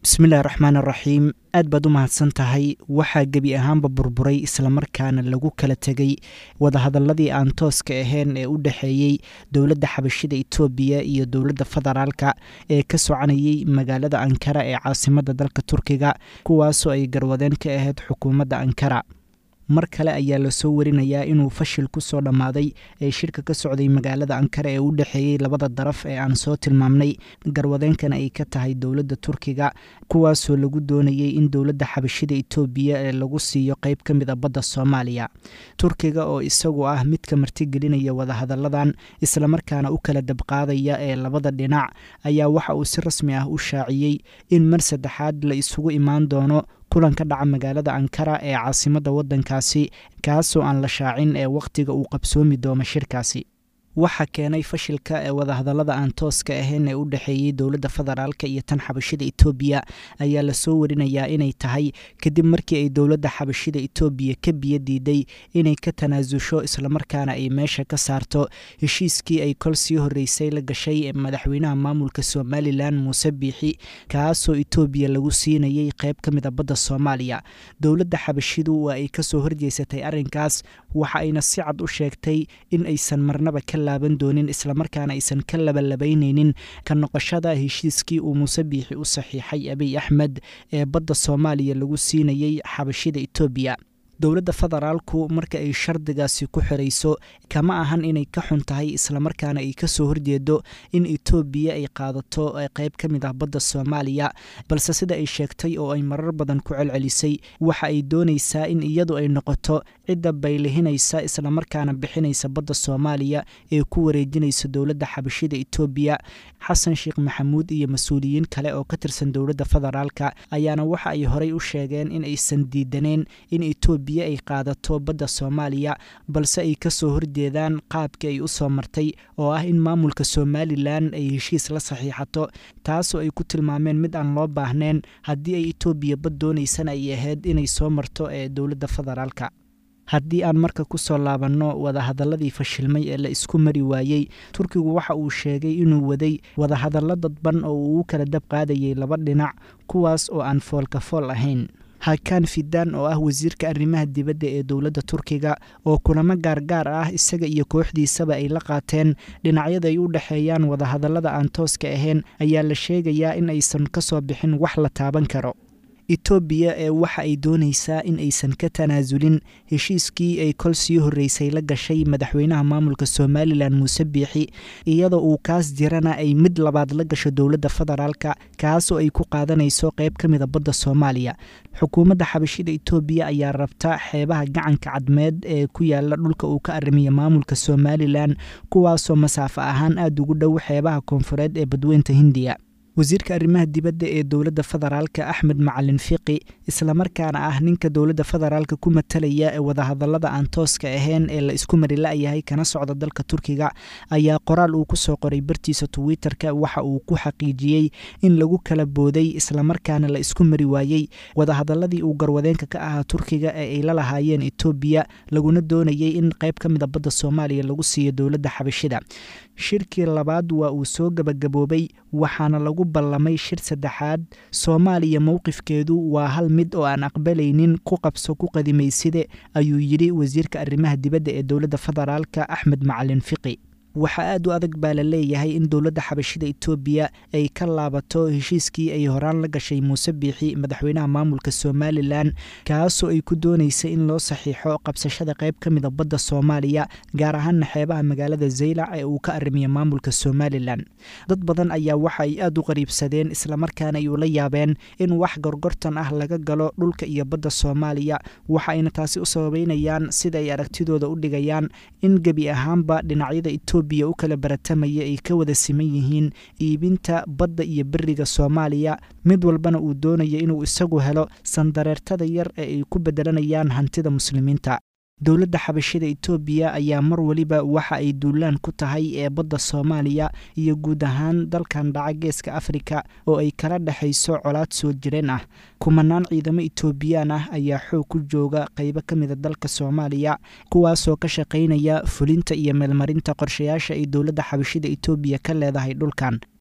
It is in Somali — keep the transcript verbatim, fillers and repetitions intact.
Bismillahi raxmaan raxiim, aad baad u mahadsan tahay. Waxaa gebi ahaanba burburay islamarkaana lagu kala tegay wadahadaladii aan tooska ahayn ee u dhexeeyey dowladda xabashida Itoobiya iyo dowladda federaalka ee ka soconayay magaalada Ankara ee caasimadda dalka Turkiga, kuwaasoo ay garwadeen ka ahayd xukuumadda Ankara. Mar kale ayaa lasoo warinayaa inuu fashil ku soo dhammaaday ee shirka ka socday magaalada Ankara ee u dhexeeyey labada daraf ee aan soo tilmaamnay, garwadeenkana ay ka tahay dowladda Turkiga, kuwaasoo lagu doonayey in dowladda xabashida Itoobiya ee lagu siiyo qeyb ka mid a badda Soomaaliya. Turkiga oo isagu ah midka martigelinaya wadahadalladan islamarkaana u kala dabqaadaya ee labada dhinac ayaa waxa uu si rasmi ah u shaaciyey in mar saddexaad la isugu imaan doono kulan ka dhaca magaalada Ankara ee caasimadda waddankaasi, kaasoo aan la shaacin ee wakhtiga uu qabsoomi doono shirkaasi. Waxa keenay fashilka ee wadahadallada aan tooska ahayn ee u dhexeeyey dowladda federaalka iyo tan xabashida Itoobiya ayaa lasoo warinayaa inay tahay kadib markii ay dowladda xabashida Itoobiya ka biyo diiday inay ka tanaasusho islamarkaana ay meesha ka saarto heshiiskii ay kol sii horreysay la gashay madaxweynaha maamulka Somalilan Muuse Biixi, kaasoo Itoobiya lagu siinayay qeyb ka mid a badda Soomaaliya. Dowladda xabashidu waa ay kasoo horjeysatay arrinkaas, waxa ayna si cad u sheegtay in aysan marnaba ka laaban doonin islamarkaana aysan ka labalabaynaynin ka noqoshada heshiiskii uu Muuse Biixi u saxiixay Abiy Axmed ee badda Soomaaliya lagu siinayey xabashida Itoobiya. Dowladda federaalku marka ay shardigaasi ku xirayso kama ahan inay ka xun tahay islamarkaana ay kasoo horjeedo in Itoobiya ay qaadato qeyb ka mid ah badda Soomaaliya, balse sida ay sheegtay oo ay marar badan ku celcelisay, waxa ay doonaysaa in iyadu ay noqoto cidda baylihinaysa islamarkaana bixinaysa badda Soomaaliya ee ku wareejinaysa dowladda xabashida Itoobiya. Xasan Sheekh Maxamuud iyo mas-uuliyiin kale oo ka tirsan dowladda federaalka ayaana waxa ay horey u sheegeen in aysan diidaneen in Itoobiya ay qaadato badda Soomaaliya, balse ay kasoo horjeedaan qaabkii ay u soo martay oo ah in maamulka Somalilan ay heshiis la saxiixato, taasoo ay ku tilmaameen mid aan loo baahnayn haddii ay Itoobiya bad doonaysana ay ahayd inay soo marto ee dowladda federaalka. Haddii aan marka ku soo laabanno wadahadalladii fashilmay ee la isku mari waayey, Turkigu waxa uu sheegay inuu waday wadahadallo dadban oo uu u kala dab qaadayay laba dhinac, kuwaas oo aan foolka fool ahayn. Hakan Fidan oo ah wasiirka arrimaha dibadda ee dowladda Turkiga oo kulamo gaargaar ah isaga iyo kooxdiisaba ay la qaateen dhinacyada ay u dhexeeyaan wadahadallada aan tooska ahayn ayaa la sheegayaa in aysan ka soo bixin wax la taaban karo. Itoobiya ee waxa ay doonaysaa in aysan ka tanaasulin heshiiskii ay kol sii horreysay la gashay madaxweynaha maamulka Somalilan Muuse Biixi, iyadoo uu kaas jirana ay mid labaad la gasho dowladda federaalka, kaasoo ay ku qaadanayso qeyb ka mida badda Soomaaliya. Xukuumadda xabashida Itoobiya ayaa rabta xeebaha gacanka Cadmeed ee ku yaala dhulka uu ka arrimiya maamulka Somalilan, kuwaasoo masaafo ahaan aada ugu dhow xeebaha koonfureed ee badweynta Hindiya. Wasiirka arrimaha dibadda ee dowladda federaalka Axmed Macalin Fiqi, islamarkaana ah ninka dowladda federaalka ku matalaya ee wadahadallada aan tooska ahayn ee la isku mari la'yahay kana socda dalka Turkiga, ayaa qoraal uu ku soo qoray bartiisa Twitterka waxa uu ku xaqiijiyey in lagu kala booday islamarkaana la isku mari waayey wadahadalladii uu garwadeenka ka ahaa Turkiga ee ay la lahaayeen Itoobiya, laguna doonayey in qayb ka mid a badda Soomaaliya lagu siiyo dowladda xabashida. Shirkii labaad waa uu soo gabagaboobay, waxaana lagu ballamay shir saddexaad. Soomaaliya mowqifkeedu waa hal mid oo aan aqbalaynin ku qabso ku qadimayside, ayuu yidhi wasiirka arrimaha dibadda ee dowladda federaalka Axmed Macalin Fiqi. Waxaa aad u adag baa la leeyahay in dowladda xabashida Itoobiya ay ka laabato heshiiskii ay horaan la gashay Muuse Biixi, madaxweynaha maamulka Somalilan, kaasoo ay ku doonaysay in loo saxiixo qabsashada qayb ka mid a badda Soomaaliya, gaar ahaana xeebaha magaalada Zaylac ee uu ka arrimiya maamulka Somalilan. Dad badan ayaa waxa ay aad u qariibsadeen islamarkaana ay ula yaabeen in wax gorgortan ah laga galo dhulka iyo badda Soomaaliya, waxa ayna taasi u sababeynayaan sida ay aragtidooda u dhigayaan in gebi ahaanba dhinacyada Itoobiya u kala baratamaya ay ka wada siman yihiin iibinta badda iyo beriga Soomaaliya, mid walbana uu doonayo inuu isagu helo sandareertada yar ee ay ku bedelanayaan hantida muslimiinta. Dowladda xabashida Itoobiya ayaa mar waliba waxa ay duulaan ku tahay ee badda Soomaaliya iyo guud ahaan dalkan dhaca geeska Afrika oo ay kala dhexayso colaad soo jireen ah. Kumanaan ciidamo Itoobiyaan ah ayaa xoog ku jooga qaybo ka mida dalka Soomaaliya, kuwaasoo ka shaqaynaya fulinta iyo meelmarinta qorshayaasha ay dowladda xabashida Itoobiya ka leedahay dhulkan.